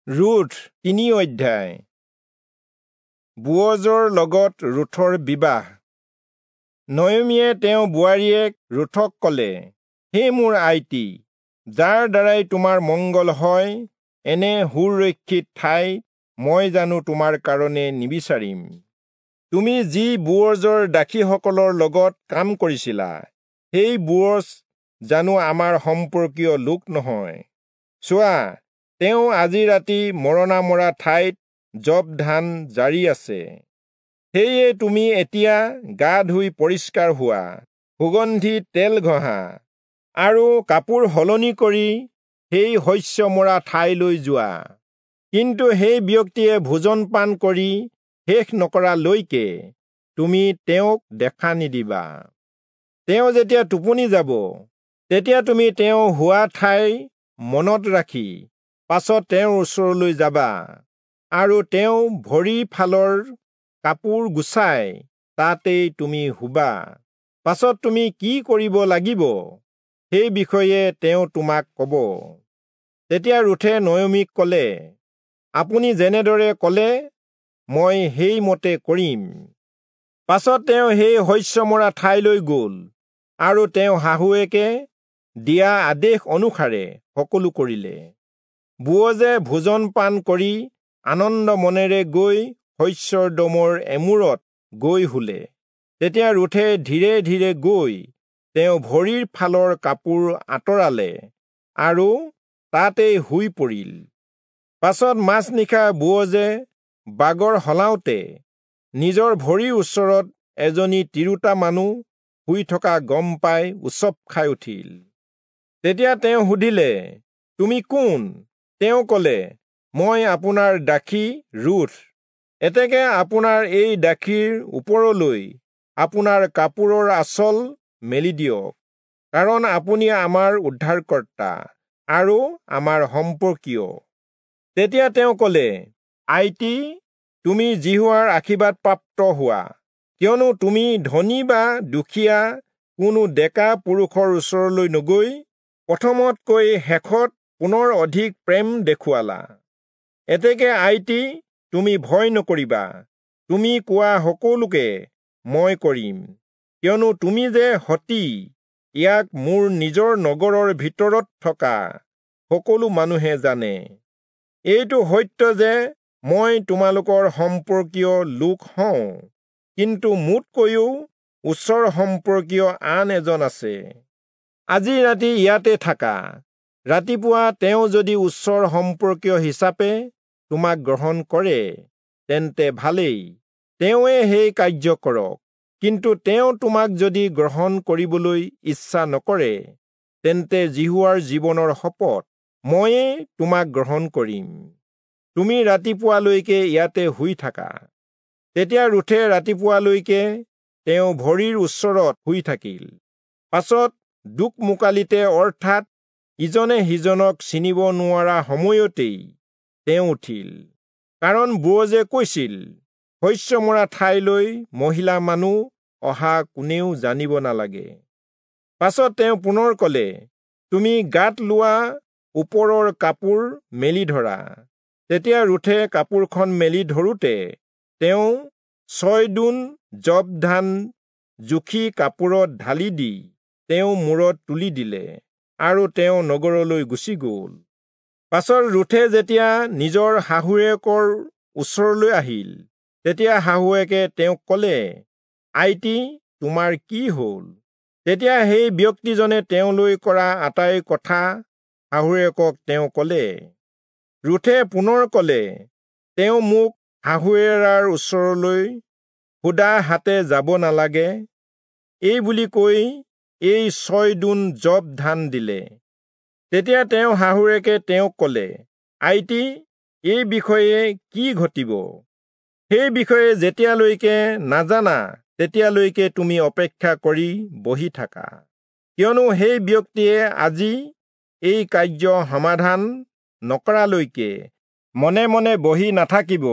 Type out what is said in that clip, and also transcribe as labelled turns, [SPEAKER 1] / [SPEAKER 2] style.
[SPEAKER 1] Ruth 3 অধ্যায়। বোৱজৰ লগত ৰুথৰ বিবাহ। নয়মীয়ে তেওঁ বোৱাৰীয়েক ৰুথক কলে, হে মোৰ IT, যাৰ দ্বাৰাই তোমাৰ মংগল হয়, এনে সুৰক্ষিত ঠাই মই জানো তোমাৰ কাৰণে নিবিচাৰিম? তুমি যি বোৱজৰ দাসীসকলৰ লগত কাম কৰিছিলা, সেই বোৱজ জানো আমাৰ সম্পৰ্কীয় লোক নহয়? চোৱা, তেওঁ আজি ৰাতি মৰণা মৰা ঠাইত যৱ ধান জাৰি আছে। সেয়ে তুমি এতিয়া গা ধুই পৰিষ্কাৰ হোৱা, সুগন্ধি তেল ঘঁহা আৰু কাপোৰ সলনি কৰি সেই শস্য মৰা ঠাইলৈ যোৱা। কিন্তু সেই ব্যক্তিয়ে ভোজন পান কৰি শেষ নকৰালৈকে তুমি তেওঁক দেখা নিদিবা। তেওঁ যেতিয়া টোপনি যাব, তেতিয়া তুমি তেওঁ হোৱা ঠাই মনত ৰাখি পাছত তেওঁৰ ওচৰলৈ যাবা আৰু তেওঁ ভৰি ফালৰ কাপোৰ গুচাই তাতেই তুমি শুবা। পাছত তুমি কি কৰিব লাগিব সেই বিষয়ে তেওঁ তোমাক কব। তেতিয়া ৰুথে নয়মীক কলে, আপুনি যেনেদৰে কলে মই সেইমতে কৰিম। পাছত তেওঁ সেই শস্য মৰা ঠাইলৈ গল আৰু তেওঁ শাহুৱেকে দিয়া আদেশ অনুসাৰে সকলো কৰিলে। বোৱজে ভোজন পান কৰি আনন্দ মনেৰে গৈ শস্যৰ দমৰ এমূৰত গৈ শুলে। তেতিয়া ৰুথে ধীৰে ধীৰে গৈ তেওঁ ভৰিৰ ফালৰ কাপোৰ আঁতৰালে আৰু তাতেই শুই পৰিল। পাছত মাজনিশা বোৱজে বাগৰ সলাওঁতে নিজৰ ভৰিৰ ওচৰত এজনী তিৰোতা মানুহ শুই থকা গম পাই উচপ খাই উঠিল। তেতিয়া তেওঁ সুধিলে, তুমি কোন? তেওঁ কলে, মই আপোনাৰ দাসী ৰুথ। এতেকে আপোনাৰ এই দাসীৰ ওপৰলৈ আপোনাৰ কাপোৰৰ আঁচল মেলি দিয়ক, কাৰণ আপুনি আমাৰ উদ্ধাৰকৰ্তা আৰু আমাৰ সম্পৰ্কীয়। তেতিয়া তেওঁ কলে, IT, তুমি যিহোৱাৰ আশীৰ্বাদ প্ৰাপ্ত হোৱা, কিয়নো তুমি ধনী বা দুখীয়া কোনো ডেকা পুৰুষৰ ওচৰলৈ নগৈ প্ৰথমতকৈ শেষত পুনৰ অধিক প্ৰেম দেখুৱালা। এতেকে IT, তুমি ভয় নকৰিবা, তুমি কোৱা সকলোকে মই কৰিম, কিয়নো তুমি যে সতী, ইয়াক মোৰ নিজৰ নগৰৰ ভিতৰত থকা সকলো মানুহে জানে। এইটো সত্য যে মই তোমালোকৰ সম্পৰ্কীয় লোক হওঁ, কিন্তু মোতকৈও ওচৰ সম্পৰ্কীয় আন এজন আছে। আজি ৰাতি ইয়াতে থাকা, ৰাতিপুৱা তেওঁ যদি ওচৰ সম্পৰ্কীয় হিচাপে তোমাক গ্ৰহণ কৰে তেন্তে ভালেই, তেওঁৱে সেই কাৰ্য কৰক। কিন্তু তেওঁ তোমাক যদি গ্ৰহণ কৰিবলৈ ইচ্ছা নকৰে, তেন্তে যিহোৱাৰ জীৱনৰ শপত ময়ে তোমাক গ্ৰহণ কৰিম। তুমি ৰাতিপুৱালৈকে ইয়াতে শুই থাকা। তেতিয়া ৰুথে ৰাতিপুৱালৈকে তেওঁ ভৰিৰ ওচৰত শুই থাকিল। পাছত দোকমোকালিতে, অৰ্থাৎ ইজনে সিজনক চিনিব নোৱাৰা সময়তেই তেওঁ উঠিল, কাৰণ বোৱজে কৈছিল, শস্য মৰা ঠাইলৈ মহিলা মানুহ অহা কোনেও জানিব নালাগে। পাছত তেওঁ পুনৰ কলে, তুমি গাত লোৱা ওপৰৰ কাপোৰ মেলি ধৰা। তেতিয়া ৰুথে কাপোৰখন মেলি ধৰোঁতে তেওঁ 6 দোণ যৱ ধান জুখি কাপোৰত ঢালি দি তেওঁ মূৰত তুলি দিলে আৰু তেওঁ নগৰলৈ গুচি গল। পাছত ৰুথে যেতিয়া নিজৰ শাহুৱেকৰ ওচৰলৈ আহিল, তেতিয়া শাহুৱেকে তেওঁক কলে, IT, তোমাৰ কি হল? তেতিয়া সেই ব্যক্তিজনে তেওঁলৈ কৰা আটাই কথা শাহুৱেকক তেওঁ কলে। ৰুথে পুনৰ কলে, তেওঁ মোক শাহুৱেৰাৰ ওচৰলৈ সুদা হাতে যাব নালাগে এই বুলি কৈ এই 6 দোণ যৱ ধান দিলে। তেতিয়া তেওঁ শাহুৱেকে তেওঁক কলে, IT, এই বিষয়ে কি ঘটিব সেই বিষয়ে যেতিয়ালৈকে নাজানা তেতিয়ালৈকে তুমি অপেক্ষা কৰি বহি থাকা, কিয়নো সেই ব্যক্তিয়ে আজি এই কাৰ্য সমাধান নকৰালৈকে মনে মনে বহি নাথাকিব।